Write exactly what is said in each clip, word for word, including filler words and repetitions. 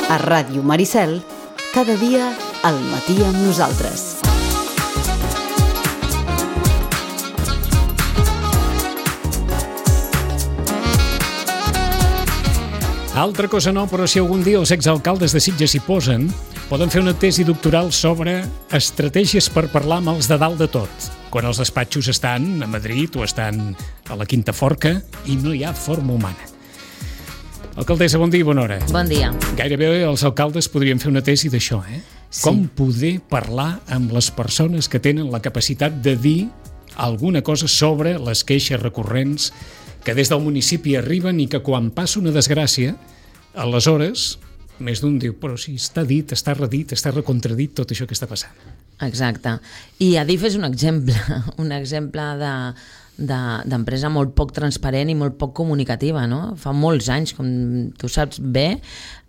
A Ràdio Maricel, cada dia al matí amb nosaltres. Altra cosa no, però si algun dia els exalcaldes de Sitges s'hi posen, poden fer una tesi doctoral sobre estratègies per parlar amb els de dalt de tot, quan els despatxos estan a Madrid o estan a la Quinta Forca i no hi ha forma humana. Alcaldessa, bon dia i bona hora. Bon dia. Gairebé els alcaldes podrien fer una tesi d'això, eh? Sí. Com poder parlar amb les persones que tenen la capacitat de dir alguna cosa sobre les queixes recurrents que des del municipi arriben i que quan passa una desgràcia, aleshores, més d'un diu, però si està dit, està redit, està recontradit tot això que està passant. Exacte. I Adif és un exemple, un exemple de d'empresa molt poc transparent i molt poc comunicativa, no? Fa molts anys, com tu saps bé,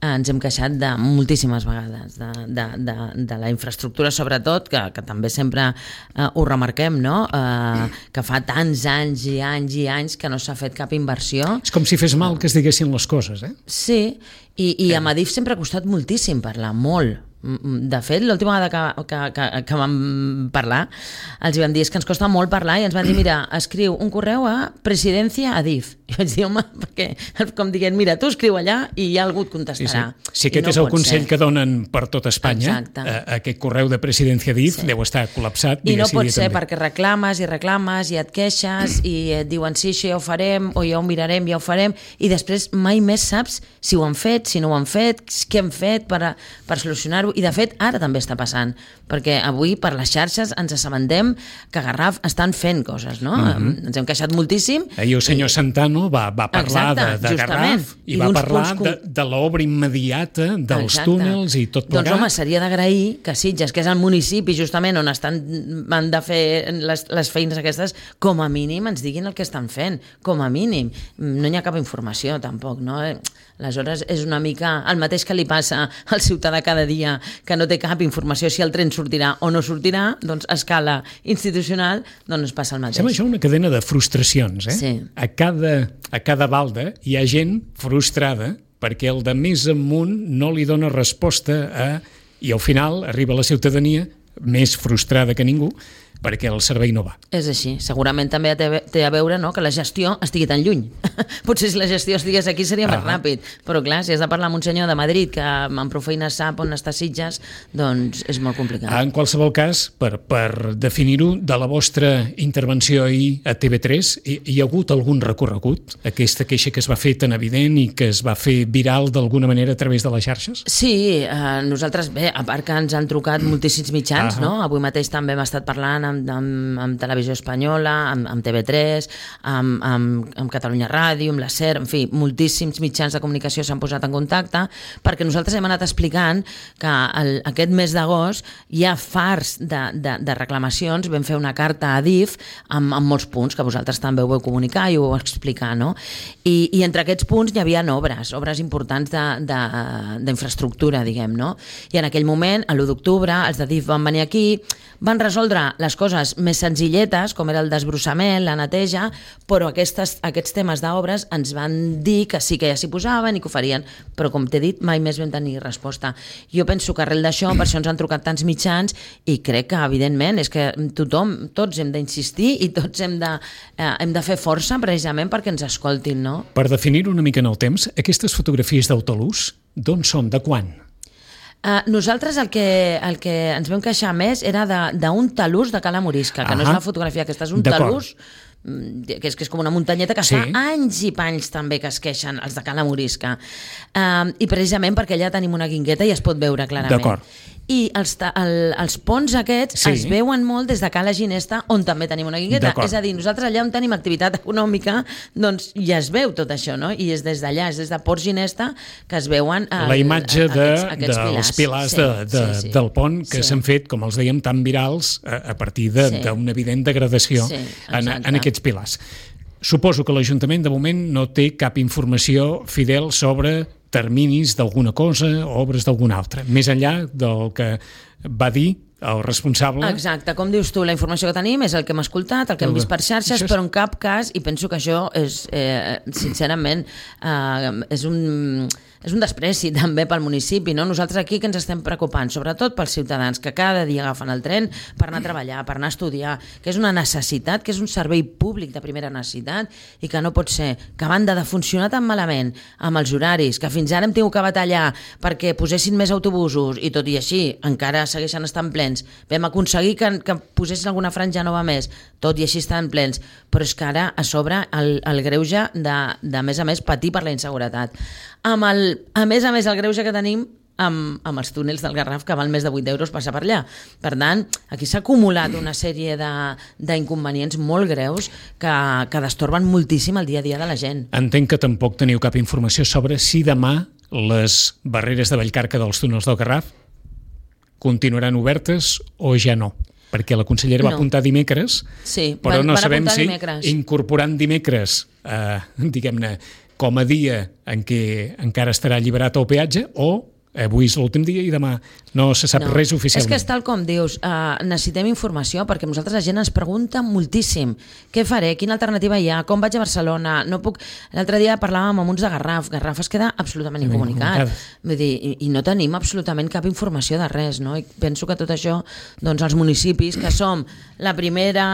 ens hem queixat de moltíssimes vegades de, de, de, de la infraestructura, sobretot, que, que també sempre eh, ho remarquem, no? Eh, que fa tants anys i anys i anys que no s'ha fet cap inversió. És com si fes mal que es diguessin les coses, eh? Sí, i, i a Adif sempre ha costat moltíssim parlar, molt. De fet, l'última vegada que, que, que, que vam parlar, els vam dir és que ens costa molt parlar i ens van dir, mira, escriu un correu a Presidència Adif. I vaig dir, home, perquè, com dient, mira, tu escriu allà i ja algú et contestarà. Sí, sí. Si aquest no és el consell ser. que donen per tot Espanya, a, aquest correu de Presidència Adif sí. deu estar col·lapsat. I no pot ser també. perquè reclames i reclames i et queixes i et diuen sí, això ja ho farem o ja ho mirarem, ja ho farem, i després mai més saps si ho han fet, si no ho han fet, què han fet per, a, per solucionar-ho. I de fet ara també està passant, perquè avui per les xarxes ens assabentem que a Garraf estan fent coses, no? Mm-hmm. Ens hem queixat moltíssim. Ahir el senyor i... Santano va, va parlar Exacte, de, de Garraf i, I va parlar com... de, de l'obra immediata dels Exacte. túnels i tot plegat. Doncs home, seria d'agrair que Sitges, que és el municipi justament on estan, han de fer les, les feines aquestes, com a mínim ens diguin el que estan fent, com a mínim. No hi ha cap informació tampoc, no? Aleshores és una mica el mateix que li passa al ciutadà cada dia, que no té cap informació si el tren sortirà o no sortirà, doncs a escala institucional doncs passa el mateix. Sembla això una cadena de frustracions, eh? Sí. A cada, a cada balda hi ha gent frustrada perquè el de més amunt no li dona resposta a... i al final arriba la ciutadania més frustrada que ningú perquè el servei no va. És així. Segurament també té a veure, no?, que la gestió estigui tan lluny. Potser si la gestió estigués aquí seria ah. més ràpid, però clar, si has de parlar amb un senyor de Madrid que amb prou feina sap on està Sitges, doncs és molt complicat. En qualsevol cas, per, per definir-ho, de la vostra intervenció ahir a T V tres, hi, hi ha hagut algun recorregut? Aquesta queixa que es va fer tan evident i que es va fer viral d'alguna manera a través de les xarxes? Sí, eh, nosaltres, bé, a part que ens han trucat moltíssims mitjans, ah. no? Avui mateix també hem estat parlant amb Amb, amb, amb Televisió Espanyola, amb, amb T V tres, amb, amb, amb Catalunya Ràdio, amb la SER, en fi, moltíssims mitjans de comunicació s'han posat en contacte, perquè nosaltres hem anat explicant que el, aquest mes d'agost hi ha fars de, de, de reclamacions. Vam fer una carta a Adif amb, amb molts punts, que vosaltres també ho vau comunicar i ho vau explicar, no? I, i entre aquests punts hi havia obres, obres importants d'infraestructura, diguem, no? I en aquell moment, a l'u d'octubre, els d'Adif van venir aquí, van resoldre les coses més senzilletes, com era el desbrossament, la neteja, però aquestes, aquests temes d'obres ens van dir que sí que ja s'hi posaven i que ho farien, però com t'he dit, mai més vam tenir resposta. Jo penso que arrel d'això, per això ens han trucat tants mitjans, i crec que, evidentment, és que tothom, tots hem d'insistir i tots hem de, eh, hem de fer força precisament perquè ens escoltin, no? Per definir una mica en el temps, aquestes fotografies d'autolús, d'on són, de quan? Uh, nosaltres el que, el que ens vam queixar més era d'un talús de Cala Morisca, que ah, no és una fotografia aquesta, és un talús que és, que és com una muntanyeta que sí. fa anys i panys també que es queixen els de Cala Morisca, uh, i precisament perquè allà tenim una guingueta i es pot veure clarament. D'acord. I els, el, els ponts aquests sí. es veuen molt des de Cala Ginesta, on també tenim una guingueta. És a dir, nosaltres allà on tenim activitat econòmica, doncs ja es veu tot això, no? I és des d'allà, és des de Port Ginesta que es veuen el, la imatge de, aquests, aquests dels pilars, pilars sí, de, de, sí, sí. del pont que s'han sí. fet, com els dèiem, tan virals a, a partir d'una sí. evident degradació sí, en, en aquests pilars. Suposo que l'Ajuntament de moment no té cap informació fidel sobre terminis d'alguna cosa o obres d'alguna altra, més enllà del que va dir el responsable... Exacte, com dius tu, la informació que tenim és el que hem escoltat, el que hem vist per xarxes, és... però en cap cas, i penso que això és, eh, sincerament, eh, és un... és un despreci també pel municipi, no? Nosaltres aquí que ens estem preocupant, sobretot pels ciutadans que cada dia agafen el tren per anar a treballar, per anar a estudiar, que és una necessitat, que és un servei públic de primera necessitat i que no pot ser que a banda de funcionar tan malament amb els horaris, que fins ara hem tingut que batallar perquè posessin més autobusos i tot i així encara segueixen estant plens, vam aconseguir que, que posessin alguna franja nova més, tot i així estan plens, però és que ara a sobre el, el greuge de, de a més a més patir per la inseguretat. Amb el, a més a més el greuge que tenim amb, amb els túnels del Garraf que val més de vuit euros passar per allà. Per tant, aquí s'ha acumulat una sèrie d'inconvenients molt greus que, que destorben moltíssim el dia a dia de la gent. Entenc que tampoc teniu cap informació sobre si demà les barreres de Vallcarca dels túnels del Garraf continuaran obertes o ja no. Perquè la consellera no. va apuntar dimecres, sí, però van, no van sabem si dimecres. incorporant dimecres, eh, diguem-ne, com a dia en què encara estarà alliberat el peatge o avui és l'últim dia i demà no se sap no. res oficialment. És que és tal com dius, uh, necessitem informació perquè nosaltres la gent ens pregunta moltíssim què faré, quina alternativa hi ha, com vaig a Barcelona, no puc... L'altre dia parlàvem amb uns de Garraf, Garraf es queda absolutament ben incomunicat, vull dir, i, i no tenim absolutament cap informació de res, no? I penso que tot això, doncs els municipis, que som la primera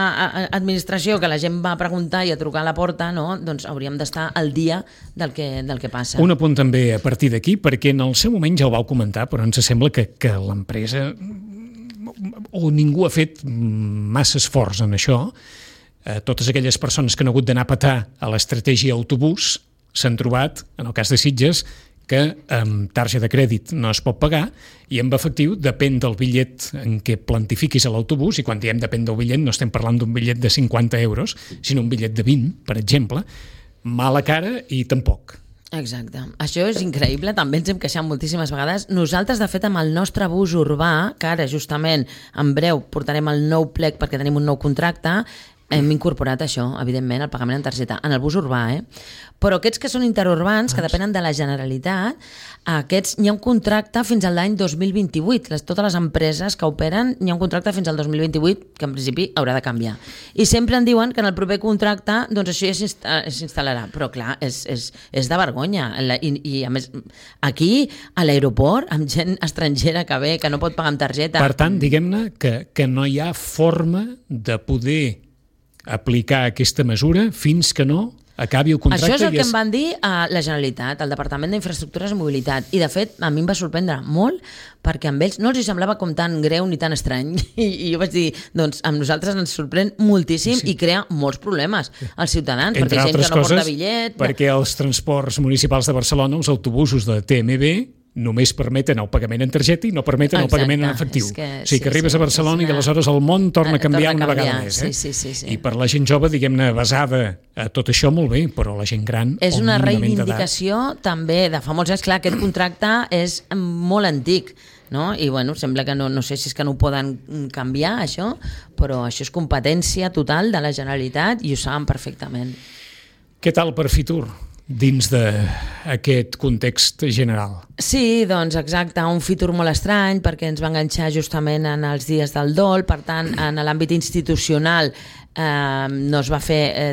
administració que la gent va a preguntar i a trucar a la porta, no? Doncs hauríem d'estar al dia del que, del que passa. Un apunt també a partir d'aquí, perquè en el seu moment ja ho vau comentar, però ens sembla que, que l'empresa o ningú ha fet massa esforç en això. Eh, totes aquelles persones que han hagut d'anar a petar a l'estratègia autobús s'han trobat, en el cas de Sitges, que amb targeta de crèdit no es pot pagar i amb efectiu depèn del bitllet en què plantifiquis a l'autobús, i quan diem depèn del bitllet no estem parlant d'un bitllet de cinquanta euros, sinó un bitllet de vint, per exemple, mala cara i tampoc. Exacte. Això és increïble, també ens hem queixat moltíssimes vegades. Nosaltres, de fet, amb el nostre bus urbà, que ara justament en breu portarem el nou plec perquè tenim un nou contracte, hem incorporat això, evidentment, el pagament en targeta, en el bus urbà, eh? Però aquests que són interurbans, que depenen de la Generalitat, aquests n'hi ha un contracte fins a l'any dos mil vint-i-vuit. Les, totes les empreses que operen, n'hi ha un contracte fins al dos mil vint-i-vuit, que en principi haurà de canviar. I sempre en diuen que en el proper contracte doncs això ja s'instal·larà. Però clar, és, és, és de vergonya. I, I a més, aquí, a l'aeroport, amb gent estrangera que ve, que no pot pagar amb targeta. Per tant, diguem-ne que, que no hi ha forma de poder aplicar aquesta mesura fins que no acabi el contracte. Això és el que és... em van dir a la Generalitat, al Departament d'Infraestructures i Mobilitat, i de fet a mi em va sorprendre molt perquè amb ells no els semblava com tan greu ni tan estrany, i, i jo vaig dir, doncs amb nosaltres ens sorprèn moltíssim sí. i crea molts problemes als ciutadans, entre perquè gent que no coses, porta bitllet... perquè els transports municipals de Barcelona, els autobusos de T M B, només permeten el pagament en targeta i no permeten Exacte. el pagament en efectiu. Que, o sigui que sí, arribes sí, a Barcelona una... i aleshores el món torna a canviar torna a una vegada més. Eh? Sí, sí, sí, sí. I per la gent jove, diguem-ne, basada a tot això, molt bé, però la gent gran... És una reivindicació també de fa molts anys. Clar, aquest contracte és molt antic, no? I bueno, sembla que no, no sé si és que no ho poden canviar, això, però això és competència total de la Generalitat i ho saben perfectament. Què tal per Fitur dins d'aquest context general? Sí, doncs exacte, un Fitur molt estrany perquè ens va enganxar justament en els dies del dol, per tant, en l'àmbit institucional eh, no es va fer eh,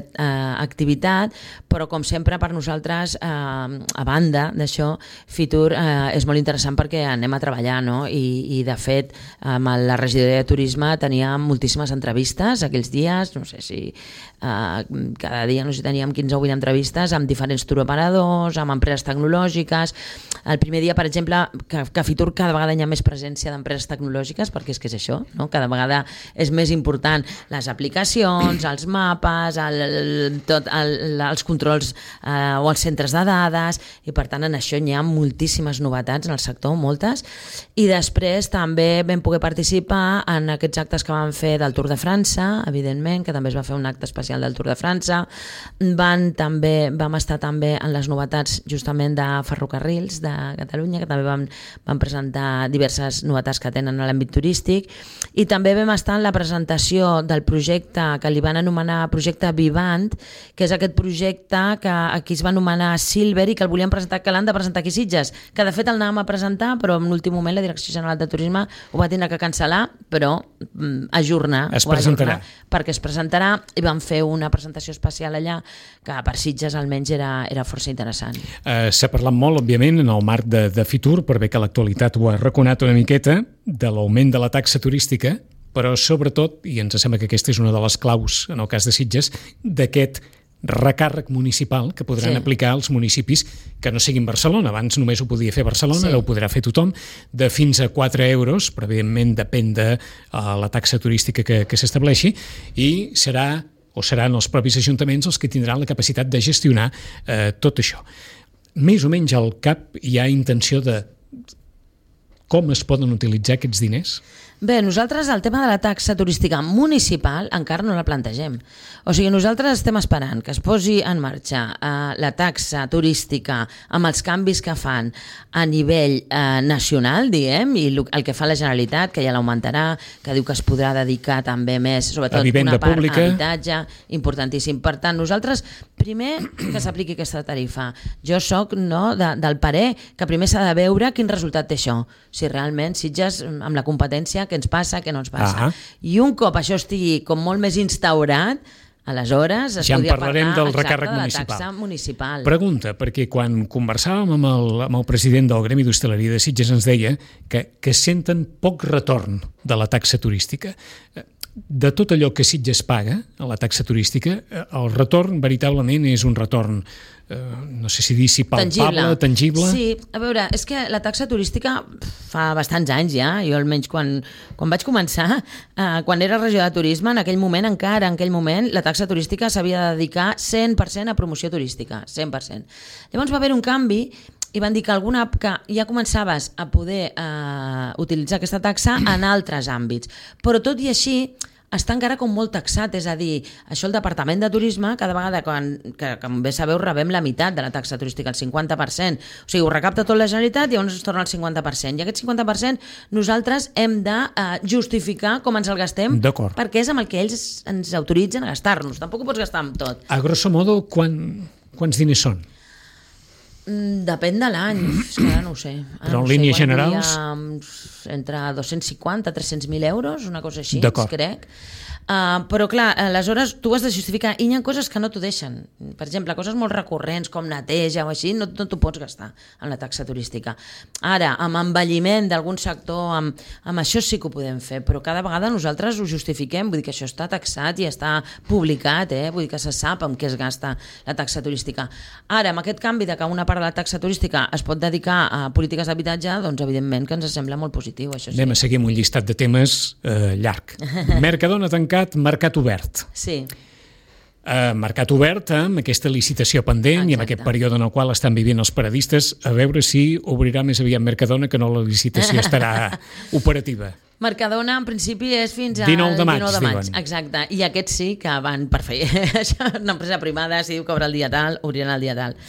activitat, però com sempre per nosaltres, eh, a banda d'això, Fitur eh, és molt interessant perquè anem a treballar, no? I, i de fet, amb la regidoria de turisme tenia moltíssimes entrevistes aquells dies, no sé si eh, cada dia no sé, teníem quinze o vint entrevistes amb diferents touroperadors, amb empreses tecnològiques. El primer dia, per exemple, que, que a Fitur cada vegada hi ha més presència d'empreses tecnològiques, perquè és que és això, no? Cada vegada és més important les aplicacions, els mapes, el, el, tot, el, els controls eh, o els centres de dades, i per tant en això hi ha moltíssimes novetats en el sector, moltes, i després també vam poder participar en aquests actes que van fer del Tour de França, evidentment, que també es va fer un acte especial del Tour de França. Van també, vam estar també en les novetats justament de ferrocarrils de Catalunya, que també vam, vam presentar diverses novetats que tenen a l'àmbit turístic, i també vam estar en la presentació del projecte que li van anomenar projecte Vivant, que és aquest projecte que aquí es va anomenar Silver i que el volien presentar, que l'han de presentar aquí a Sitges, que de fet el anàvem a presentar, però en l'últim moment la Direcció General de Turisme ho va tenir que cancel·lar, però mm, ajornar. Es presentarà. Perquè es presentarà i van fer una presentació especial allà que per Sitges almenys era, era força interessant. Uh, S'ha parlat molt, òbviament, en el marc de, de Fitur, per bé que l'actualitat ho ha raconat una miqueta, de l'augment de la taxa turística, però sobretot, i ens sembla que aquesta és una de les claus en el cas de Sitges, d'aquest recàrrec municipal que podran sí. aplicar als municipis que no siguin Barcelona. Abans només ho podia fer Barcelona, sí. ara ho podrà fer tothom, de fins a quatre euros, però evidentment depèn de uh, la taxa turística que, que s'estableixi, i serà o seran els propis ajuntaments els que tindran la capacitat de gestionar eh, tot això. Més o menys al cap hi ha intenció de com es poden utilitzar aquests diners? Bé, nosaltres el tema de la taxa turística municipal encara no la plantegem. O sigui, nosaltres estem esperant que es posi en marxa eh, la taxa turística amb els canvis que fan a nivell eh, nacional, diguem, i el que fa la Generalitat, que ja l'augmentarà, que diu que es podrà dedicar també més, sobretot una part pública. A habitatge, importantíssim. Per tant, nosaltres, primer que s'apliqui aquesta tarifa. Jo soc no, de, del parer que primer s'ha de veure quin resultat té això, si realment Sitges, amb la competència, què ens passa, què no ens passa. Ah. I un cop això estigui com molt més instaurat, aleshores es ja podria parlar del recàrrec de la municipal. taxa municipal. Pregunta, perquè quan conversàvem amb el, amb el president del Gremi d'Hostaleria de Sitges ens deia que, que senten poc retorn de la taxa turística. De tot allò que Sitges paga a la taxa turística, el retorn veritablement és un retorn eh, no sé si dir si palpable, tangible. tangible. Sí, a veure, és que la taxa turística fa bastants anys ja, jo almenys quan, quan vaig començar, eh, quan era regió de turisme, en aquell moment encara, en aquell moment, la taxa turística s'havia de dedicar cent per cent a promoció turística, cent per cent. Llavors va haver un canvi i van dir que alguna que ja començaves a poder eh, utilitzar aquesta taxa en altres àmbits, però tot i així està encara com molt taxat, és a dir, això el Departament de Turisme, cada vegada, quan, que com bé sabeu, rebem la meitat de la taxa turística, el cinquanta per cent. O sigui, ho recapta tot la Generalitat i llavors es torna al cinquanta per cent. I aquest cinquanta per cent nosaltres hem de uh, justificar com ens el gastem, perquè és amb el que ells ens autoritzen a gastar-nos. Tampoc ho pots gastar amb tot. A grosso modo, quan, quants diners són? Depèn de l'any, és que ara no ho sé. Ara Però en no línies sé, generals? Entre dos-cents cinquanta i tres-cents mil euros, una cosa així, D'acord. crec. Uh, però clar, aleshores tu has de justificar i hi ha coses que no t'ho deixen. Per exemple, coses molt recurrents com neteja o així, no, no t'ho pots gastar en la taxa turística. Ara, amb envelliment d'algun sector, amb, amb això sí que ho podem fer, però cada vegada nosaltres ho justifiquem, vull dir que això està taxat i està publicat, eh? Vull dir que se sap amb què es gasta la taxa turística. Ara, amb aquest canvi de que una part de la taxa turística es pot dedicar a polítiques d'habitatge, doncs evidentment que ens sembla molt positiu, això sí. Anem a seguir amb un llistat de temes eh, llarg. Mercadona tancat, mercat obert. Sí. Uh, mercat obert amb aquesta licitació pendent. Exacte. I amb aquest període en el qual estan vivint els paradistes, a veure si obrirà més aviat Mercadona que no la licitació estarà operativa. Mercadona, en principi, és fins al dinou de maig, dinou de maig. Diuen. Exacte. I aquests sí que van per fer. Una empresa primada, si diu que obre el dia tal, obriran el dia tal.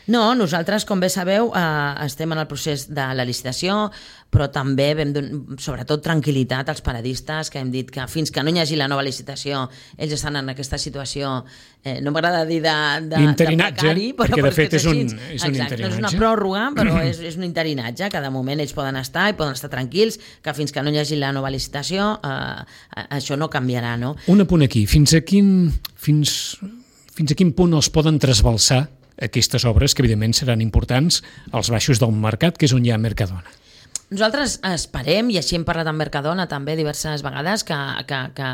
No, nosaltres, com bé sabeu, eh, estem en el procés de la licitació, però també vam donar, sobretot, tranquil·litat als paradistes, que hem dit que fins que no hi hagi la nova licitació, ells estan en aquesta situació, eh, no m'agrada dir de, de, de precari, però, perquè de fet és, és un, és un Exacte, interinatge. No és una pròrroga, però és, és un interinatge, que de moment ells poden estar i poden estar tranquils, que fins que no hi hagi la nova licitació, eh, això no canviarà, no? Un apunt aquí, fins a quin, fins, fins a quin punt els poden trasbalsar aquestes obres, que evidentment seran importants, als baixos del mercat, que és on hi ha Mercadona? Nosaltres esperem, i així hem parlat amb Mercadona també diverses vegades, que, que, que,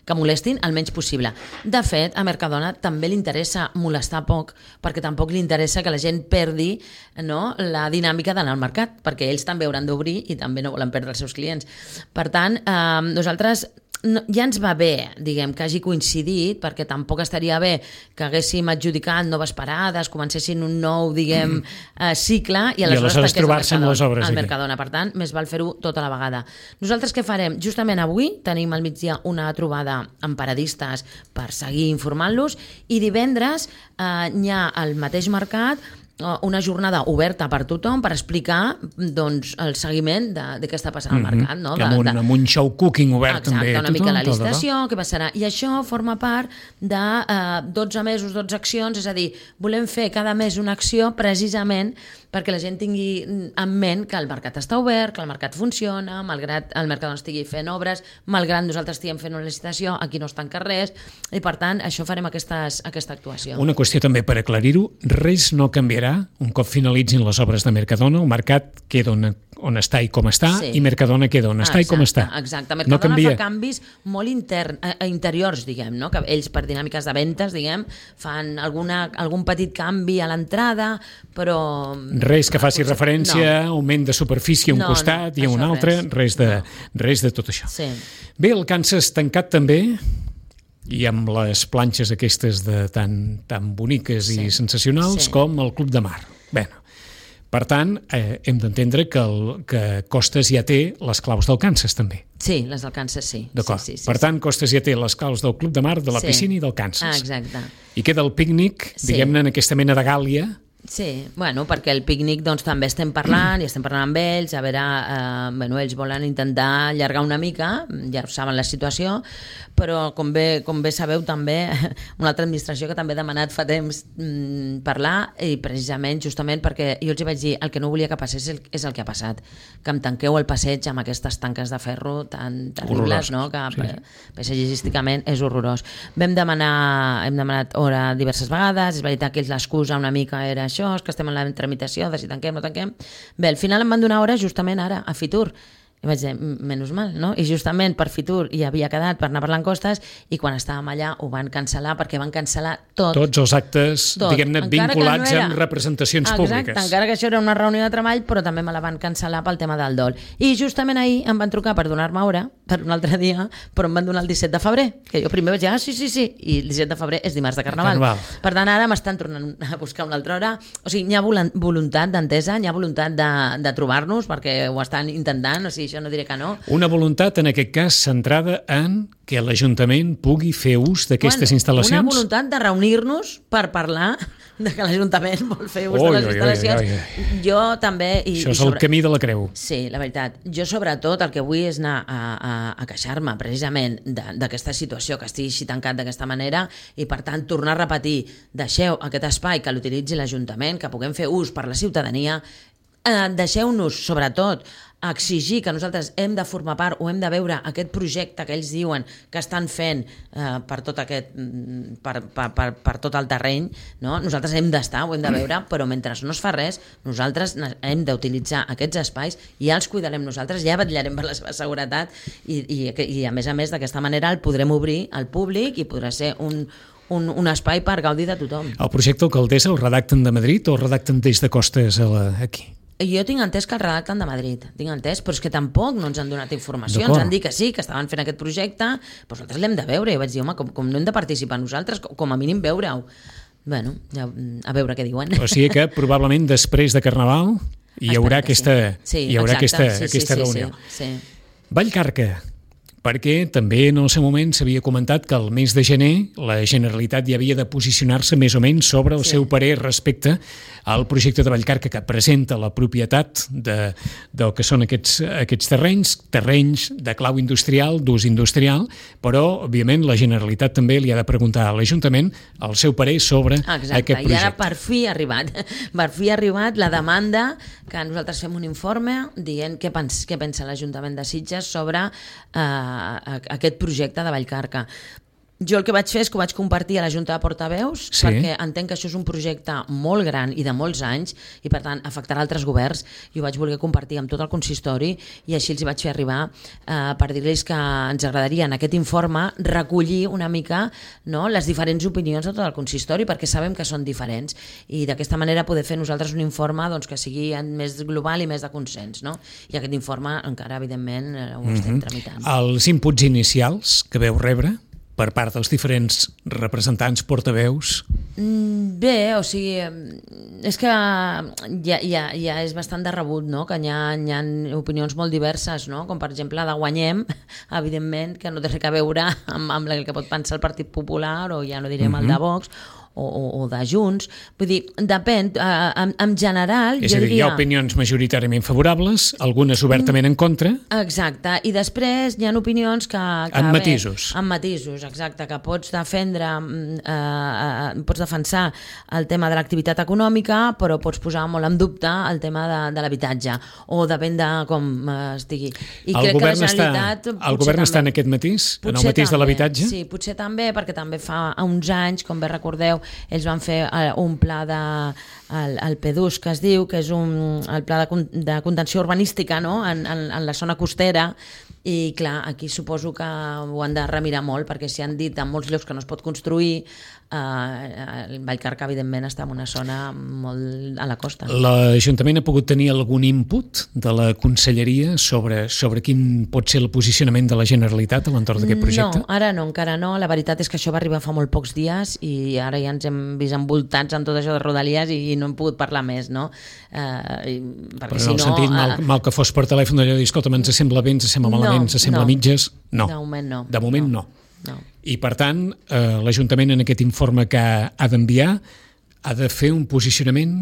que molestin el menys possible. De fet, a Mercadona també li interessa molestar poc, perquè tampoc li interessa que la gent perdi, no, la dinàmica d'anar al mercat, perquè ells també hauran d'obrir i també no volen perdre els seus clients. Per tant, eh, nosaltres no, ja ens va bé, diguem, que hagi coincidit, perquè tampoc estaria bé que haguéssim adjudicat noves parades, comencessin un nou, diguem, eh, cicle, i aleshores, I aleshores trobar-se amb les obres al Mercadona. Per tant, més val fer-ho tota la vegada. Nosaltres què farem? Justament avui tenim al migdia una trobada amb paradistes per seguir informant-los, i divendres eh, hi ha al mateix mercat una jornada oberta per tothom per explicar doncs, el seguiment de, de què està passant al mercat. No? Que amb, un, amb un show cooking obert Exacte, també. Exacte, una tothom, mica la licitació, què passarà. I això forma part de eh, dotze mesos, dotze accions, és a dir, volem fer cada mes una acció precisament perquè la gent tingui en ment que el mercat està obert, que el mercat funciona, malgrat el mercat no estigui fent obres, malgrat nosaltres estiguem fent una licitació, aquí no es tanca res, i per tant, això farem aquestes, aquesta actuació. Una qüestió també per aclarir-ho, res no canviarà un cop finalitzin les obres de Mercadona, el mercat queda on, on està i com està, sí. i Mercadona queda on està exacte, i com està. Exacte, Mercadona no fa canvis molt intern, eh, interiors, diguem, no? Que ells per dinàmiques de ventes, diguem, fan alguna, algun petit canvi a l'entrada, però... Res que faci referència no. a augment de superfície a un no, costat no, i a un altre, res, res, de, no. res de tot això. Sí. Bé, el Kansas tancat també, i amb les planxes aquestes de tan, tan boniques sí. i sensacionals sí. com el Club de Mar. Bé, per tant, eh, hem d'entendre que, el, que Costes ja té les claus del Kansas també. Sí, les del Kansas sí. D'acord. Sí, sí, sí, per tant, sí. Costes ja té les claus del Club de Mar, de la sí. piscina i del Kansas. Ah, exacte. I queda el pícnic, sí. diguem-ne, en aquesta mena de gàlia. Sí, bueno, perquè el pícnic doncs, també estem parlant i estem parlant amb ells, a veure, eh, bueno, ells volen intentar allargar una mica, ja saben la situació, però com bé, com bé sabeu també, una altra administració que també ha demanat fa temps mm, parlar, i precisament, justament perquè jo els vaig dir, el que no volia que passés és el, és el que ha passat, que em tanqueu el passeig amb aquestes tanques de ferro tan terribles, no? Que sí. paisatgísticament és horrorós. Vam demanar, hem demanat hora diverses vegades, és veritat que l'excusa una mica era això, és que estem en la tramitació de si tanquem o no tanquem. Bé, al final em van donar hora justament ara, a Fitur. I vaig dir, menys mal, no? I justament per Fitur hi havia quedat per anar parlant costes i quan estàvem allà ho van cancel·lar perquè van cancel·lar tot. Tots els actes, diguem-ne, vinculats no era... amb representacions Exacte, públiques. Encara que això era una reunió de treball, però també me la van cancel·lar pel tema del dol. I justament ahir em van trucar per donar-me hora, per un altre dia, però em van donar el disset de febrer, que jo primer vaig dir, ah, sí, sí, sí, i el disset de febrer és dimarts de Carnaval. Carnaval. Per tant, ara m'estan tornant a buscar una altra hora. O sigui, hi ha voluntat d'entesa, hi ha voluntat de, de trobar-nos, perquè ho estan intentant, o sigui, això no diré que no. Una voluntat, en aquest cas, centrada en que l'Ajuntament pugui fer ús d'aquestes bueno, instal·lacions? Una voluntat de reunir-nos per parlar de que l'Ajuntament vol fer ús oi, de les oi, instal·lacions. Oi, oi, oi. Jo també... I, Això és i sobre... el camí de la creu. Sí, la veritat. Jo, sobretot, el que vull és anar a, a, a queixar-me, precisament, d'aquesta situació, que estigui així tancat d'aquesta manera, i, per tant, tornar a repetir, deixeu aquest espai que l'utilitzi l'Ajuntament, que puguem fer ús per la ciutadania, eh, deixeu-nos, sobretot, exigir que nosaltres hem de formar part o hem de veure aquest projecte que ells diuen que estan fent eh, per tot aquest per, per, per, per tot el terreny, no? Nosaltres hem d'estar, ho hem de veure, però mentre no es fa res, nosaltres hem d'utilitzar aquests espais, ja els cuidarem nosaltres, ja vetllarem per la seva seguretat i, i, i a més a més d'aquesta manera el podrem obrir al públic i podrà ser un Un, un espai per gaudir de tothom. El projecte Alcaldessa el redacten de Madrid o el redacten des de Costes a la, aquí? Jo tinc entès que el redacten de Madrid, tinc entès, però és que tampoc no ens han donat informació, ens han dit que sí, que estaven fent aquest projecte, però nosaltres l'hem de veure, i vaig dir, home, com, com no hem de participar nosaltres, com, com a mínim veure-ho. Bueno, ja, a veure què diuen. O sigui que probablement després de Carnaval hi haurà aquesta, sí. Sí, hi haurà exacte, aquesta, sí, aquesta sí, reunió. Sí, sí. Vallcarca, perquè també en el seu moment s'havia comentat que el mes de gener la Generalitat ja havia de posicionar-se més o menys sobre el sí. seu parer respecte al projecte de Vallcarca que presenta la propietat de, del que són aquests, aquests terrenys, terrenys de clau industrial, d'ús industrial, però, òbviament, la Generalitat també li ha de preguntar a l'Ajuntament el seu parer sobre Exacte. aquest projecte. I ara per fi ha arribat, per fi ha arribat la demanda que nosaltres fem un informe dient què, pens, què pensa l'Ajuntament de Sitges sobre eh, aquest projecte de Vallcarca. Jo el que vaig fer és que ho vaig compartir a la Junta de Portaveus sí. perquè entenc que això és un projecte molt gran i de molts anys i per tant afectarà altres governs i ho vaig voler compartir amb tot el consistori i així els hi vaig fer arribar eh, per dir-los que ens agradaria en aquest informe recollir una mica no, les diferents opinions de tot el consistori perquè sabem que són diferents i d'aquesta manera poder fer nosaltres un informe doncs, que sigui més global i més de consens. No? I aquest informe encara evidentment ho estem mm-hmm. tramitant. Els inputs inicials que veu rebre per part dels diferents representants portaveus? Bé, o sigui, és que ja, ja, ja és bastant de rebut, no? Que hi ha, hi ha opinions molt diverses, no? Com per exemple la de Guanyem, evidentment, que no té res a veure amb, amb el que pot pensar el Partit Popular o ja no direm mm-hmm. el de Vox, o, o, o de Junts. Vull dir, depèn. En, en general, és jo a dir, diria... hi ha opinions majoritàriament favorables, algunes obertament en contra. Exacte, i després hi ha opinions que... que en bé, matisos. En matisos, exacte, que pots defendre, eh, eh, pots defensar el tema de l'activitat econòmica, però pots posar molt en dubte el tema de, de l'habitatge, o depèn de com estigui. I el crec que la Generalitat... Està, el govern també, està en aquest matís, en el matís també, de l'habitatge? Sí, potser també, perquè també fa uns anys, com bé recordeu, ells van fer un pla de... El, el P D U S, que es diu, que és un, el pla de, de contenció urbanística, no? en, en, en la zona costera, i clar, aquí suposo que ho han de remirar molt, perquè si han dit en molts llocs que no es pot construir, eh, el Vallcarca evidentment està en una zona molt a la costa. L'Ajuntament ha pogut tenir algun input de la Conselleria sobre, sobre quin pot ser el posicionament de la Generalitat a l'entorn d'aquest projecte? No, ara no, encara no. La veritat és que això va arribar fa molt pocs dies i ara ja ens hem vist envoltats en tot això de Rodalies i no hem pogut parlar més, no? Eh, perquè Però en el si no, sentit mal, uh, mal que fos per telèfon d'allò dir, escolta, ens sembla bé, ens sembla malament, no, ens sembla no. mitges, no. De moment no. De moment no. no. no. I per tant, eh, l'Ajuntament en aquest informe que ha d'enviar ha de fer un posicionament,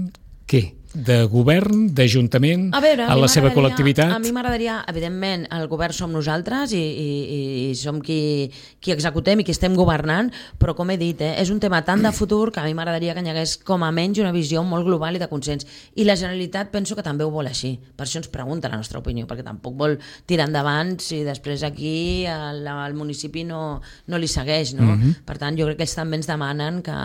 què? De govern, d'Ajuntament, a, veure, a, a la seva col·lectivitat? A mi m'agradaria, evidentment, el govern som nosaltres i, i, i som qui, qui executem i qui estem governant, però com he dit, eh, és un tema tan de futur que a mi m'agradaria que hi hagués com a menys una visió molt global i de consens. I la Generalitat penso que també ho vol així. Per això ens pregunta la nostra opinió, perquè tampoc vol tirar endavant si després aquí el, el municipi no, no li segueix, no? Mm-hmm. Per tant, jo crec que ells també ens demanen que,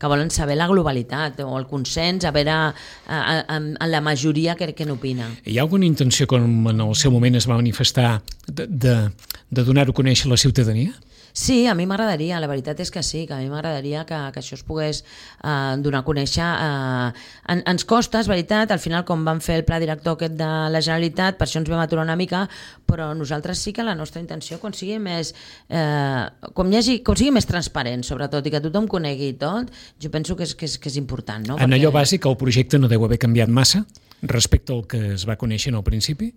que volen saber la globalitat o el consens, a veure en la majoria que, que n'opina. Hi ha alguna intenció, com en el seu moment es va manifestar, de, de, de donar-ho a conèixer a la ciutadania? Sí, a mi m'agradaria, la veritat és que sí, que a mi m'agradaria que, que això es pogués eh, donar a conèixer. Eh, en, ens costa, és veritat, al final com vam fer el pla director aquest de la Generalitat, per això ens vam aturar una mica, però nosaltres sí que la nostra intenció, quan sigui més, eh, com, hi hagi, com sigui més transparent, sobretot, i que tothom conegui tot, jo penso que és, que és, que és important. No? En Perquè... allò bàsic, el projecte no deu haver canviat massa respecte al que es va conèixer en el principi?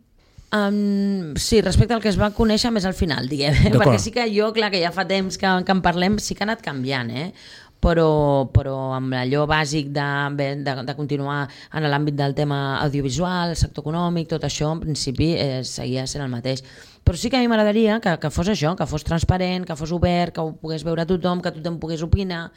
Um, sí, respecte al que es va conèixer més al final, diguem, perquè sí que jo, clar, que ja fa temps que, que en parlem, sí que ha anat canviant, eh? però, però amb allò bàsic de, de, de continuar en l'àmbit del tema audiovisual, sector econòmic, tot això, en principi, eh, seguia sent el mateix. Però sí que a mi m'agradaria que, que fos això, que fos transparent, que fos obert, que ho pogués veure tothom, que tothom pogués opinar.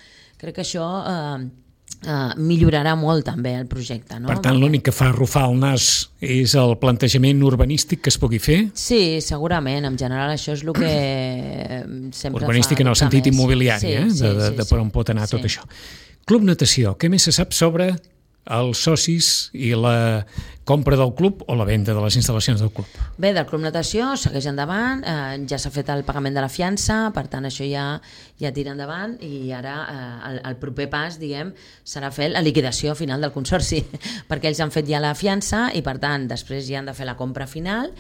Crec que això... Eh, Uh, millorarà molt també el projecte, no? Per tant, l'únic que fa arrufar el nas és el plantejament urbanístic que es pugui fer? Sí, segurament. En general això és el que sempre urbanístic fa... en el sentit més. immobiliari, sí, eh? sí, de, de, sí, de per on pot anar sí. tot això. Club Natació, què més se sap sobre els socis i la compra del club o la venda de les instal·lacions del club? Bé, del Club Natació segueix endavant, eh, ja s'ha fet el pagament de la fiança, per tant això ja, ja tira endavant i ara eh, el, el proper pas, diguem, serà fer la liquidació final del consorci, perquè ells han fet ja la fiança i per tant després ja han de fer la compra final.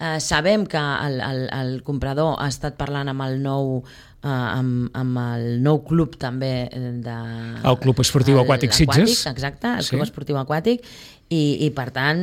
Eh, sabem que el, el, el comprador ha estat parlant amb el nou Uh, amb, amb el nou club també de... El Club Esportiu el, Aquàtic Sitges. Exacte, el sí. Club Esportiu Aquàtic i, i per tant,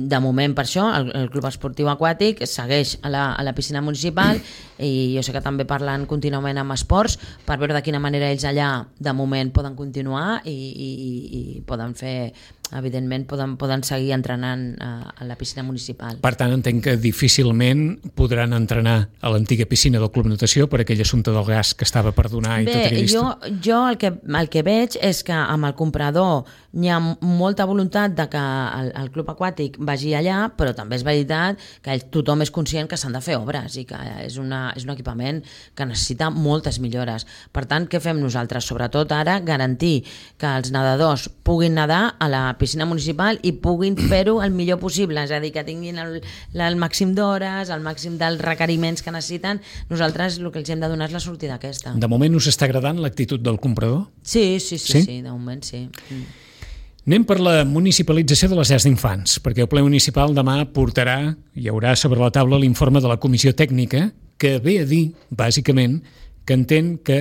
de moment per això el, el Club Esportiu Aquàtic segueix a la, a la piscina municipal i jo sé que també parlen contínuament amb esports per veure de quina manera ells allà de moment poden continuar i, i, i poden fer, evidentment poden, poden seguir entrenant a, a la piscina municipal. Per tant, entenc que difícilment podran entrenar a l'antiga piscina del Club Natació per aquell assumpte del gas que estava per donar i Bé, tot aquella jo, jo el, que, el que veig és que amb el comprador hi ha molta voluntat de que el, el club aquàtic vagi allà, però també és veritat que tothom és conscient que s'han de fer obres i que és, una, és un equipament que necessita moltes millores. Per tant, què fem nosaltres? Sobretot ara garantir que els nedadors puguin nedar a la piscina municipal i puguin fer-ho el millor possible, és a dir, que tinguin el, el màxim d'hores, el màxim dels requeriments que necessiten. Nosaltres el que els hem de donar és la sortida aquesta. De moment us està agradant l'actitud del comprador? Sí, sí, sí, sí, sí de moment sí. Mm. Anem per la municipalització de les llars d'infants, perquè el ple municipal demà portarà, hi haurà sobre la taula l'informe de la comissió tècnica que ve a dir, bàsicament, que entén que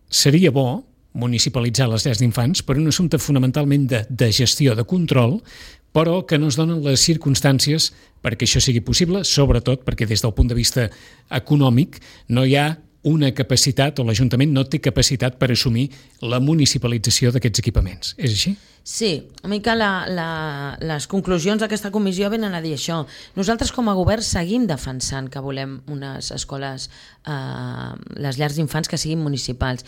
seria bo municipalitzar les llars d'infants per un assumpte fonamentalment de, de gestió, de control, però que no es donen les circumstàncies perquè això sigui possible, sobretot perquè des del punt de vista econòmic no hi ha una capacitat, o l'Ajuntament no té capacitat per assumir la municipalització d'aquests equipaments. És així? Sí, una mica la, la, les conclusions d'aquesta comissió venen a dir això. Nosaltres com a govern seguim defensant que volem unes escoles, eh, les llars d'infants que siguin municipals,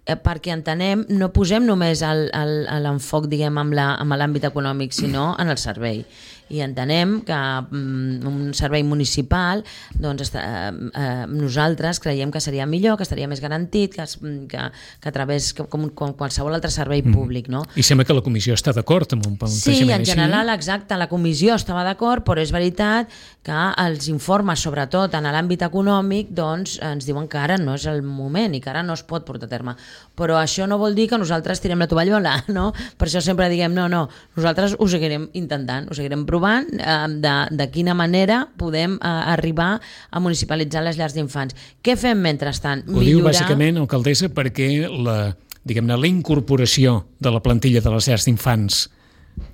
eh, perquè entenem, no posem només l'enfoc, diguem, amb l'àmbit econòmic, sinó en el servei. I entenem que um, un servei municipal, doncs, està, eh, nosaltres creiem que seria millor, que estaria més garantit, que, que, que a través, que, com, com qualsevol altre servei mm. públic. No? I sembla que la comissió està d'acord amb un plantejament així. Sí, en general, exacte, la comissió estava d'acord, però és veritat que els informes, sobretot en l'àmbit econòmic, doncs, ens diuen que ara no és el moment i que ara no es pot portar a terme. Però això no vol dir que nosaltres tirem la tovallola, no? Per això sempre diguem, no, no, nosaltres ho seguirem intentant, ho seguirem provant, De, de quina manera podem uh, arribar a municipalitzar les llars d'infants. Què fem mentrestant? Ho Millorar... diu bàsicament, alcaldessa, perquè la, diguem-ne, la incorporació de la plantilla de les llars d'infants,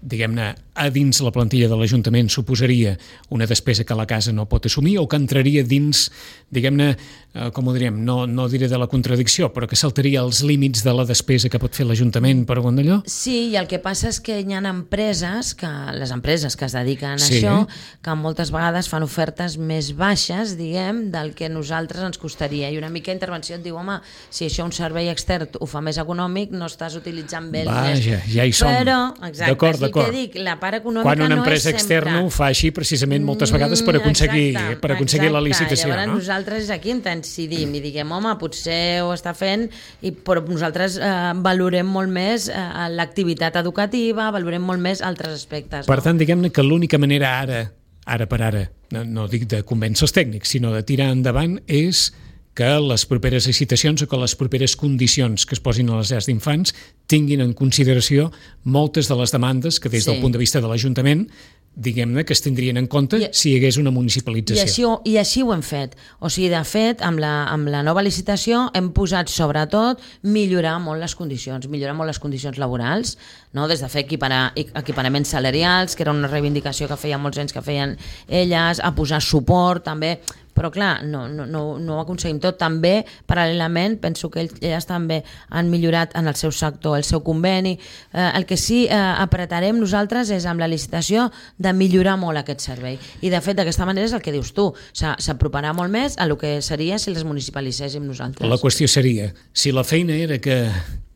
diguem-ne, a dins la plantilla de l'Ajuntament suposaria una despesa que la casa no pot assumir o que entraria dins, diguem-ne, eh, com ho diríem, no, no diré de la contradicció, però que saltaria els límits de la despesa que pot fer l'Ajuntament per on d'allò? Sí, i el que passa és que hi ha empreses, que, les empreses que es dediquen a sí. això, que moltes vegades fan ofertes més baixes, diguem, del que a nosaltres ens costaria. I una mica intervenció et diu, home, si això un servei extern ho fa més econòmic, no estàs utilitzant bé el Vaja, diners. Ja hi som. Però, exacte, d'acord, d'acord. Que dic, la part econòmica quan una no empresa és sempre... externa ho fa així precisament moltes vegades per aconseguir, exacte, per aconseguir exacte. la licitació. Llavors no? nosaltres aquí ens incidim i diguem, home, potser ho està fent, i, però nosaltres eh, valorem molt més eh, l'activitat educativa, valorem molt més altres aspectes. Per no? tant, diguem-ne que l'única manera ara, ara per ara, no, no dic de convèncer els tècnics, sinó de tirar endavant és que les properes licitacions o que les properes condicions que es posin a les llars d'infants tinguin en consideració moltes de les demandes que des del sí. punt de vista de l'Ajuntament diguem-ne que es tindrien en compte I, si hi hagués una municipalització. I així, I així ho hem fet. O sigui, de fet, amb la, amb la nova licitació hem posat, sobretot, millorar molt les condicions, millorar molt les condicions laborals, no? Des de fer equiparar, equiparaments salarials, que era una reivindicació que feia molts anys que feien elles, a posar suport, també. Però clar, no, no, no, no ho aconseguim tot. També, paral·lelament, penso que elles també han millorat en el seu sector, el seu conveni. Eh, el que sí eh, apretarem nosaltres és amb la licitació de millorar molt aquest servei. I de fet, d'aquesta manera és el que dius tu. S'aproparà molt més a el que seria si les municipalitzéssim nosaltres. La qüestió seria, si la feina era que,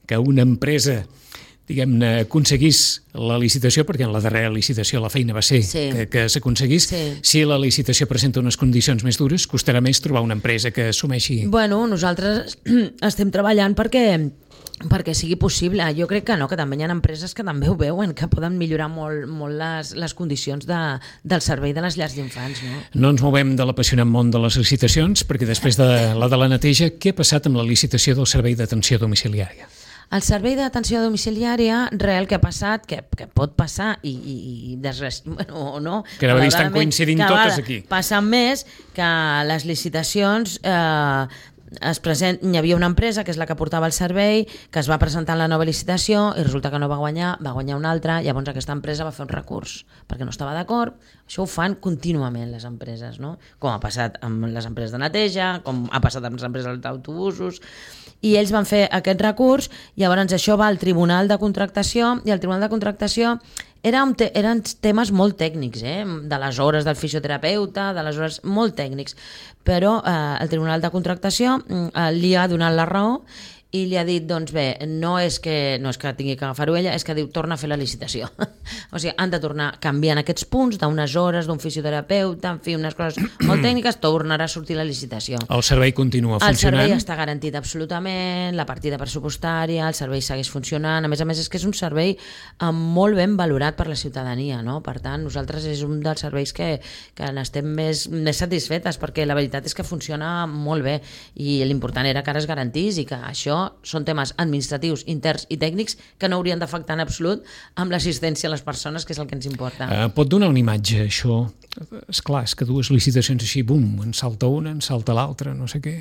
que una empresa diguem-ne, aconseguís la licitació, perquè en la darrera licitació la feina va ser sí. que, que s'aconseguís, sí. si la licitació presenta unes condicions més dures, costarà més trobar una empresa que assumeixi... Bueno, nosaltres estem treballant perquè perquè sigui possible. Jo crec que no, que també hi ha empreses que també ho veuen, que poden millorar molt, molt les, les condicions de, del servei de les llars d'infants. No? no ens movem de l'apassionant món de les licitacions, perquè després de la de la neteja, què ha passat amb la licitació del servei d'atenció domiciliària? El servei d'atenció domiciliària, real que ha passat, que, que pot passar i, i, i desres... bueno, o no, que ara estan coincidint totes aquí. Passen més que les licitacions eh, es present, hi havia una empresa que és la que portava el servei, que es va presentar en la nova licitació i resulta que no va guanyar, va guanyar una altra, llavors aquesta empresa va fer un recurs perquè no estava d'acord. Això ho fan contínuament les empreses, no? Com ha passat amb les empreses de neteja, com ha passat amb les empreses d'autobusos, i ells van fer aquest recurs, llavors això va al Tribunal de Contractació, i el Tribunal de Contractació era un te eren temes molt tècnics, eh? De les hores del fisioterapeuta, de les hores molt tècnics, però eh, el Tribunal de Contractació eh, li ha donat la raó i li ha dit, doncs bé, no és que, no és que tingui que agafar-ho ella, és que diu, torna a fer la licitació. O sigui, han de tornar canviant aquests punts d'unes hores, d'un fisioterapeuta, en fi, unes coses molt tècniques, tornarà a sortir la licitació. El servei continua funcionant? El servei està garantit absolutament, la partida pressupostària, el servei segueix funcionant, a més a més és que és un servei molt ben valorat per la ciutadania, no? Per tant, nosaltres és un dels serveis que, que n'estem més, més satisfetes, perquè la veritat és que funciona molt bé i l'important era que ara es garantís i que això són temes administratius, interns i tècnics que no haurien d'afectar en absolut amb l'assistència a les persones, que és el que ens importa. Uh, pot donar una imatge, això? Esclar, és que dues licitacions així, bum, en salta una, en salta l'altra, no sé què...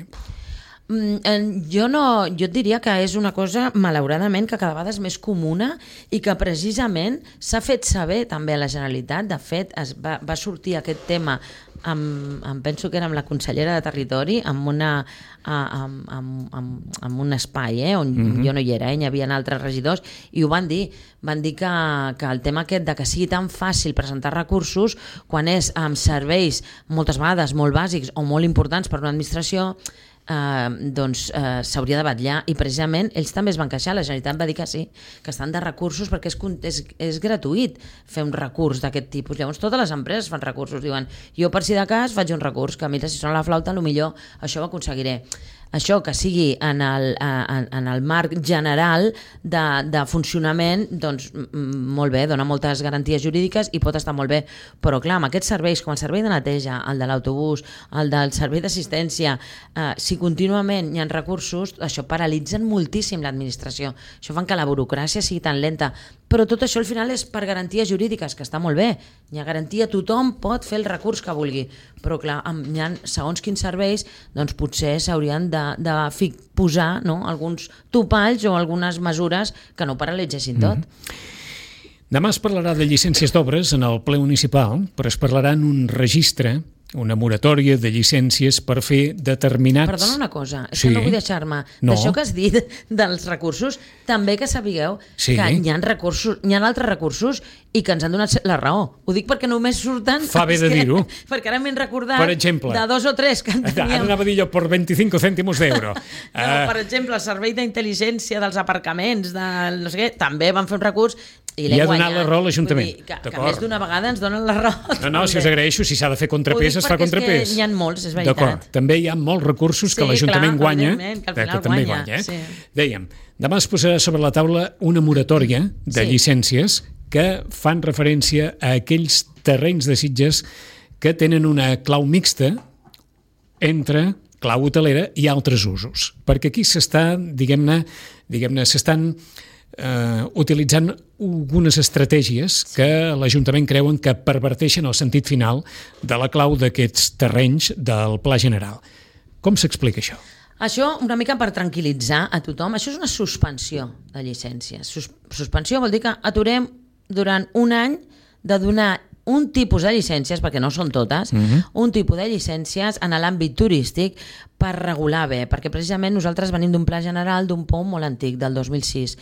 Mm, jo, no, jo et diria que és una cosa, malauradament, que cada vegada és més comuna i que precisament s'ha fet saber també a la Generalitat. De fet, es va, va sortir aquest tema amb, amb, penso que era amb la consellera de Territori, amb, una, amb, amb, amb, amb un espai, eh, on mm-hmm. jo no hi era, eh, hi havia altres regidors, i ho van dir, van dir que, que el tema aquest de que sigui tan fàcil presentar recursos, quan és amb serveis moltes vegades molt bàsics o molt importants per una administració, Uh, doncs uh, s'hauria de vetllar, i precisament ells també es van queixar, la Generalitat va dir que sí, que estan de recursos perquè és, és, és gratuït fer un recurs d'aquest tipus. Llavors totes les empreses fan recursos, diuen jo per si de cas faig un recurs, que mira, si sona la flauta potser això ho aconseguiré. Això que sigui en el, en, en el marc general de, de funcionament, doncs molt bé, dona moltes garanties jurídiques i pot estar molt bé, però clar, amb aquests serveis, com el servei de neteja, el de l'autobús, el del servei d'assistència, eh, si contínuament hi ha recursos, això paralitzen moltíssim l'administració, això fan que la burocràcia sigui tan lenta, però tot això al final és per garanties jurídiques, que està molt bé, hi ha garantia, tothom pot fer el recurs que vulgui, però clar, hi ha segons quins serveis, doncs potser s'haurien de de posar, no, alguns topalls o algunes mesures que no paralitzessin tot. Mm-hmm. Demà es parlarà de llicències d'obres en el ple municipal, però es parlarà en un registre, una moratòria de llicències per fer determinats... Perdona una cosa, és sí. que no vull deixar-me. No. D'això que has dit dels recursos, també que sapigueu sí. que hi ha recursos, hi ha altres recursos i que ens han donat la raó. Ho dic perquè només surten... Fa bé de dir-ho. Perquè ara m'he recordat per exemple, de dos o tres que en teníem... Ara anava a dir jo per vint-i-cinc cèntimos d'euro. no, uh... Per exemple, el servei d'intel·ligència dels aparcaments, del no sé què, també van fer un recurs i l'he guanyat. I ha donat la raó a l'Ajuntament. Que, que més d'una vegada ens donen la raó. No, no, si us agraeixo, si s'ha de fer contrapès, es fa contrapès. N'hi ha molts, és veritat. D'acord, també hi ha molts recursos que sí, l'Ajuntament clar, guanya, que, que també guanya. guanya. Eh? Sí. Dèiem, demà es posarà sobre la taula una moratòria de sí. llicències que fan referència a aquells terrenys de Sitges que tenen una clau mixta entre clau hotelera i altres usos. Perquè aquí s'està, diguem-ne, diguem-ne, s'estan eh, utilitzant algunes estratègies que l'Ajuntament creuen que perverteixen el sentit final de la clau d'aquests terrenys del Pla General. Com s'explica això? Això, una mica per tranquil·litzar a tothom, això és una suspensió de llicències. Sus- suspensió vol dir que aturem durant un any de donar un tipus de llicències, perquè no són totes, uh-huh. un tipus de llicències en l'àmbit turístic per regular bé, perquè precisament nosaltres venim d'un pla general d'un P O M molt antic, del dos mil sis.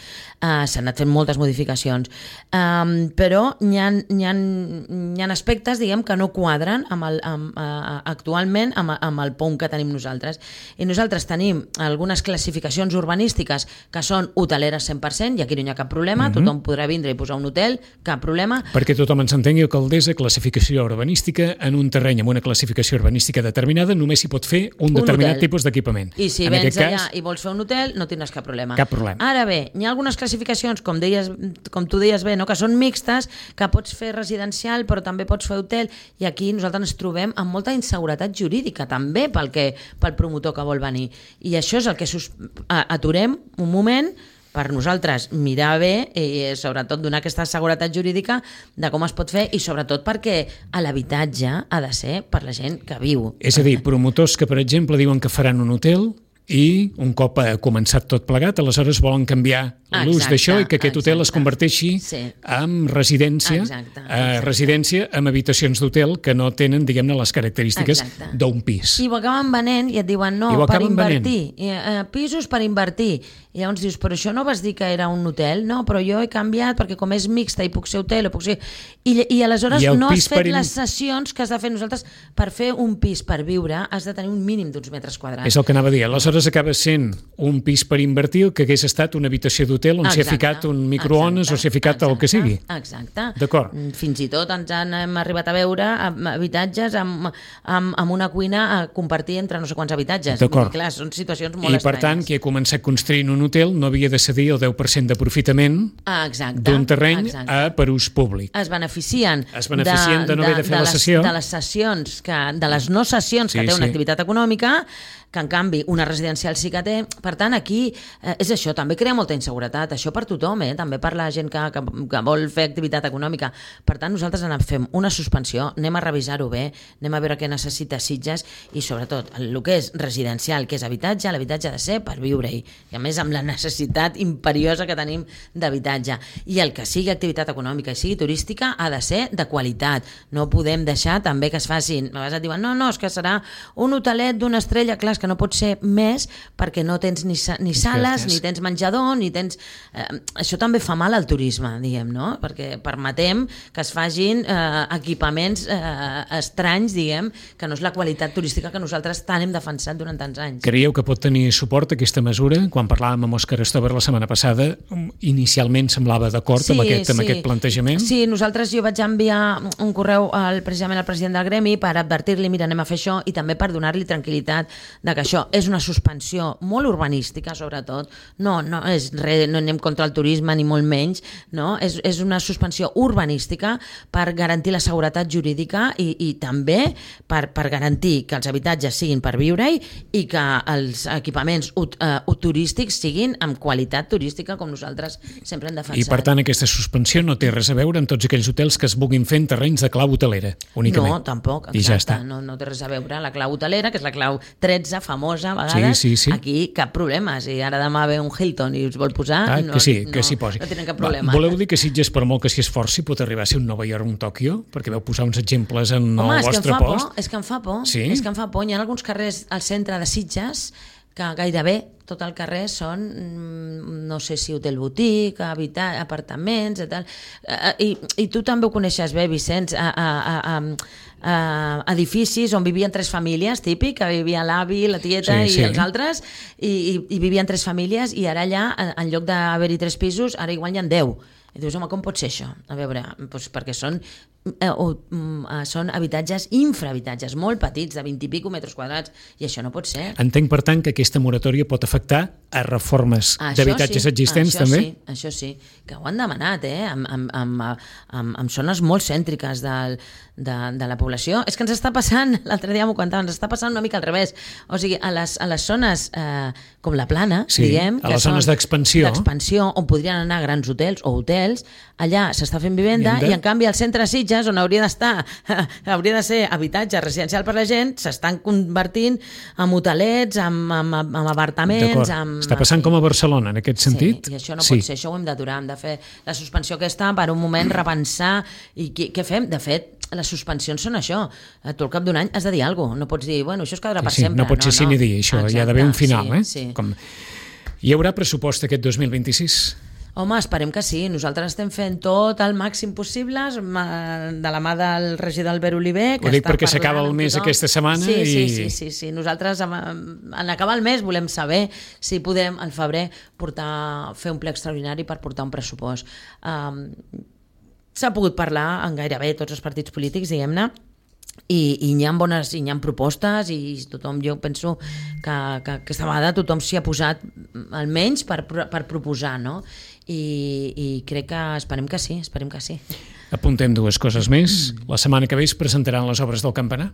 Uh, s'han anat fent moltes modificacions, um, però hi ha, hi, ha, hi ha aspectes, diguem, que no quadren amb el, amb, uh, actualment amb, amb el P O M que tenim nosaltres. I nosaltres tenim algunes classificacions urbanístiques que són hoteleres cent per cent, i aquí no hi ha cap problema, uh-huh. tothom podrà vindre i posar un hotel, cap problema. Perquè tothom ens entengui, Alcaldessa, classificació urbanística, en un terreny amb una classificació urbanística determinada només s'hi pot fer un determinat un tipus d'equipament. I si en vens allà cas, i vols fer un hotel, no tindràs cap problema. Cap problema. Ara bé, hi ha algunes classificacions, com deies, com tu deies bé, no? que són mixtes, que pots fer residencial, però també pots fer hotel, i aquí nosaltres ens trobem amb molta inseguretat jurídica, també pel, que, pel promotor que vol venir. I això és el que sus... aturem un moment per nosaltres mirar bé i sobretot donar aquesta seguretat jurídica de com es pot fer, i sobretot perquè l'habitatge ha de ser per la gent que viu. És a dir, promotors que, per exemple, diuen que faran un hotel i un cop ha començat tot plegat, aleshores volen canviar l'ús d'això i que aquest hotel es converteixi sí. en residència, exacte, exacte. Eh, residència amb habitacions d'hotel que no tenen, diguem-ne, les característiques d'un pis. I ho acaben venent i et diuen no, per invertir, eh, pisos per invertir. I llavors dius, però això no vas dir que era un hotel? No, però jo he canviat perquè com és mixta i puc ser hotel o puc ser... I, i aleshores I no has fet per... les sessions que has de fer nosaltres per fer un pis per viure, has de tenir un mínim d'uns metres quadrats. És el que anava a dir. Aleshores acaba sent un pis per invertir que hagués estat una habitació d'hotel on s'hi ha ficat un microones o s'hi ha ficat exacte, el que sigui. Exacte. D'acord. Fins i tot ens han hem arribat a veure habitatges amb, amb, amb una cuina a compartir entre no sé quants habitatges. D'acord. Clar, són situacions molt I, estranyes. per tant, qui ha començat construint un hotel no havia de cedir el deu per cent d'aprofitament d'un terreny a, per ús públic. Es beneficien, es beneficien de, de no haver de fer de la sessió. Les, de les sessions, que, de les no sessions sí, que té una sí. activitat econòmica, que en canvi una residencial sí que té. Per tant, aquí eh, és això, també crea molta inseguretat, això per tothom, eh? També per la gent que, que, que vol fer activitat econòmica. Per tant, nosaltres en fem una suspensió, anem a revisar-ho bé, anem a veure què necessita Sitges i sobretot el que és residencial, que és habitatge, l'habitatge ha de ser per viure-hi, i a més amb la necessitat imperiosa que tenim d'habitatge. I el que sigui activitat econòmica i sigui turística ha de ser de qualitat. No podem deixar també que es facin, a vegades et diuen no, no, és que serà un hotelet d'una estrella, clar, és que no pot ser més perquè no tens ni, ni sales, ni tens menjador, ni tens... Eh, això també fa mal al turisme, diguem, no? Perquè permetem que es facin eh, equipaments eh, estranys, diguem, que no és la qualitat turística que nosaltres tant hem defensat durant tants anys. Creieu que pot tenir suport aquesta mesura? Quan parlàvem amb Òscar Stover la setmana passada, inicialment semblava d'acord sí, amb, aquest, amb sí. aquest plantejament? Sí, nosaltres jo vaig enviar un correu al, precisament al president del gremi per advertir-li, mira, anem a fer això, i també per donar-li tranquil·litat de que això és una suspensió molt urbanística, sobretot, no, no, és re, no anem contra el turisme ni molt menys, no? és, és una suspensió urbanística per garantir la seguretat jurídica i, i també per, per garantir que els habitatges siguin per viure-hi i que els equipaments ut, uh, turístics siguin amb qualitat turística com nosaltres sempre hem defensat. I per tant aquesta suspensió no té res a veure amb tots aquells hotels que es vulguin fer en terrenys de clau hotelera, únicament. No, tampoc, exacte. I ja està. No, no té res a veure. La clau hotelera, que és la clau tretze, famosa, a vegades, sí, sí, sí. Aquí cap problema. Si ara demà ve un Hilton i us vol posar, ah, no, que sí, que no, s'hi posi. No tenen cap problema. Va, voleu dir que Sitges, per molt que s'hi esforci, pot arribar a ser un Nova York o un Tòquio? Perquè veu posar uns exemples en Home, el vostre post. Home, és que em fa por. Sí? És que em fa por. Hi ha alguns carrers al centre de Sitges que gairebé tot el carrer són, no sé si hotel boutique, habitat, apartaments i tal. I, i tu també ho coneixes bé, Vicenç, a, a, a, a, a edificis on vivien tres famílies, típic, que vivia l'avi, la tieta sí, i sí. els altres, i, i, i vivien tres famílies, i ara allà, en lloc d'haver-hi tres pisos, ara igual hi ha deu. I dius, home, com pot ser això? A veure, doncs perquè són, eh, eh, són habitatges, infrahabitatges, molt petits, de vint i pico metres quadrats, i això no pot ser. Entenc, per tant, que aquesta moratòria pot afectar a reformes d'habitatges sí, existents, això també? Sí, això sí, que ho han demanat, eh? Amb, amb, amb, amb, amb zones molt cèntriques del, de, de la població. És que ens està passant, l'altre dia m'ho comentava, ens està passant una mica al revés. O sigui, a les, a les zones eh, com la Plana, sí, diguem, a les zones d'expansió, d'expansió, on podrien anar grans hotels o hotels, allà s'està fent vivenda, vivenda i en canvi al centre de Sitges, on hauria d'estar, hauria de ser habitatge residencial per la gent, s'estan convertint en hotelets, en, en, en apartaments... En... Està passant com a Barcelona, en aquest sentit? Sí, i això no sí. pot ser, això ho hem d'aturar, hem de fer la suspensió aquesta per un moment, repensar, i què, què fem? De fet, les suspensions són això. Tu al cap d'un any has de dir alguna cosa, no pots dir, bueno, això es quedarà per sí, sí, sempre. No pot ser no, no. Ni dir, això, exacte, hi ha d'haver un final, sí, eh? Sí. Com... Hi haurà pressupost aquest dos mil vint-i-sis? Home, esperem que sí. Nosaltres estem fent tot el màxim possible de la mà del regidor Albert Oliver. Ho dic perquè s'acaba el mes aquesta setmana. Sí, i... sí, sí, sí, sí. Nosaltres en acabar el mes volem saber si podem al febrer portar, fer un ple extraordinari per portar un pressupost. Um, s'ha pogut parlar en gairebé tots els partits polítics, diguem-ne, i, i hi ha bones, i hi ha propostes i tothom, jo penso que, que aquesta vegada tothom s'hi ha posat almenys per, per proposar, no? I, i crec que esperem que sí, esperem que sí. Apuntem dues coses més. La setmana que ve es presentaran les obres del campanar?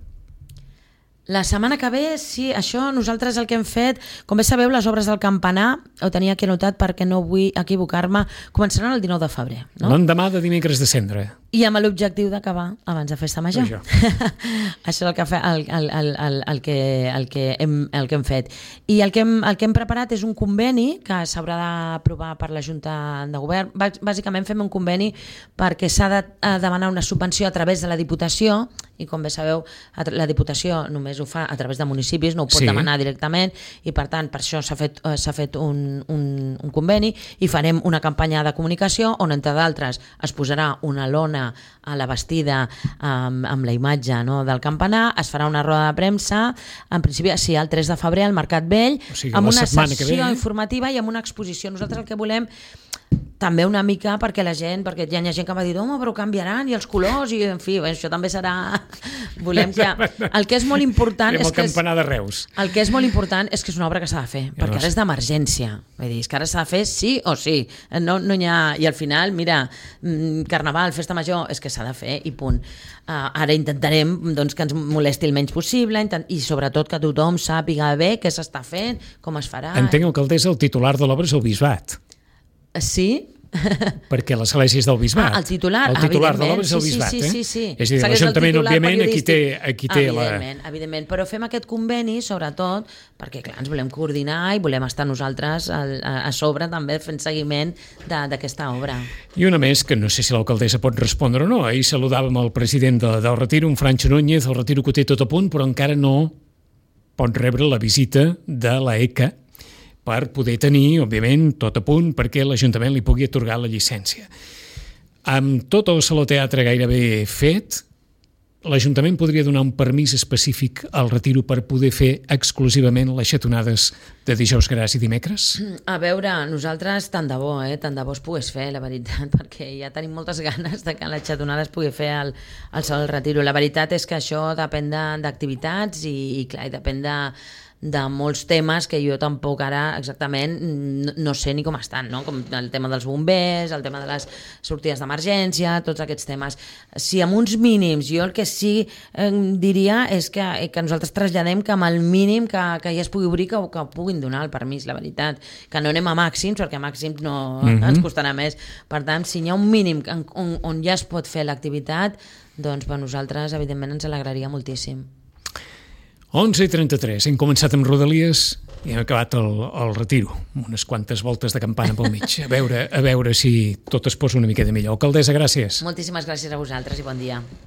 La setmana que ve, sí, això nosaltres el que hem fet, com bé sabeu, les obres del campanar, ho tenia aquí anotat perquè no vull equivocar-me, començaran el dinou de febrer. No? L'endemà de dimecres de Cendre. I amb l'objectiu d'acabar abans de Festa Major. Això, això és el que, fe, el, el, el, el, el, que, el, que hem, el que hem fet. I el que hem, el que hem preparat és un conveni que s'haurà d'aprovar per la Junta de Govern. Bàsicament fem un conveni perquè s'ha de demanar una subvenció a través de la Diputació, i com bé sabeu, la Diputació només ho fa a través de municipis, no ho pot sí. demanar directament, i per tant per això s'ha fet, s'ha fet un, un, un conveni, i farem una campanya de comunicació on, entre d'altres, es posarà una lona a la bastida amb, amb la imatge, no, del campanar, es farà una roda de premsa, en principi sí, el tres de febrer al Mercat Vell, o sigui, amb una sessió informativa i amb una exposició. Nosaltres el que volem també una mica perquè la gent, perquè hi ha gent que m'ha dit, home, però canviaran, i els colors, i en fi, això també serà... Volem que... El que és molt important... és que el campanar de Reus. El que és molt important és que és una obra que s'ha de fer, ja perquè ara és d'emergència. Vull dir, és que ara s'ha de fer sí o sí. No, no hi ha... I al final, mira, Carnaval, Festa Major, és que s'ha de fer i punt. Uh, ara intentarem doncs, que ens molesti el menys possible intent... i sobretot que tothom sàpiga bé què s'està fent, com es farà... Entenc, alcaldessa, el titular de l'obra és el Bisbat. Sí? Perquè l'església és del Bisbat. Ah, el titular, el titular de l'obra és el Bisbat. Sí, sí, sí, sí. Eh? És a dir, l'Ajuntament, òbviament, aquí té, aquí té evidentment, la... Evidentment, però fem aquest conveni, sobretot, perquè, clar, ens volem coordinar i volem estar nosaltres a, a, a sobre també fent seguiment d'aquesta obra. I una més, que no sé si l'alcaldessa pot respondre o no. Ahir saludàvem el president de, del Retiro, un Francho Núñez, el Retiro que ho té tot a punt, però encara no pot rebre la visita de l'E C A per poder tenir, òbviament, tot a punt perquè l'Ajuntament li pugui atorgar la llicència. Amb tot el Saló Teatre gairebé fet, l'Ajuntament podria donar un permís específic al Retiro per poder fer exclusivament les xatonades de dijous gras i dimecres? A veure, nosaltres tant de bo, eh? tant de bo es pogués fer, la veritat, perquè ja tenim moltes ganes de que la xatonada es pugui fer al, al Saló del Retiro. La veritat és que això depèn d'activitats i, i, clar, i depèn de de molts temes que jo tampoc ara exactament no, no sé ni com estan, no? Com el tema dels bombers, el tema de les sortides d'emergència, tots aquests temes. Si amb uns mínims, jo el que sí eh, diria és que, que nosaltres traslladem que amb el mínim que, que ja es pugui obrir, que, que puguin donar el permís, la veritat. Que no anem a màxims, perquè a màxims no, mm-hmm. ens costarà més. Per tant, si hi ha un mínim on, on ja es pot fer l'activitat, doncs per nosaltres, evidentment, ens alegraria moltíssim. onze i trenta-tres, hem començat amb Rodalies i hem acabat el, el Retiro, unes quantes voltes de campana pel mig, a veure, a veure si tot es posa una miqueta millor. Alcaldessa, gràcies. Moltíssimes gràcies a vosaltres i bon dia.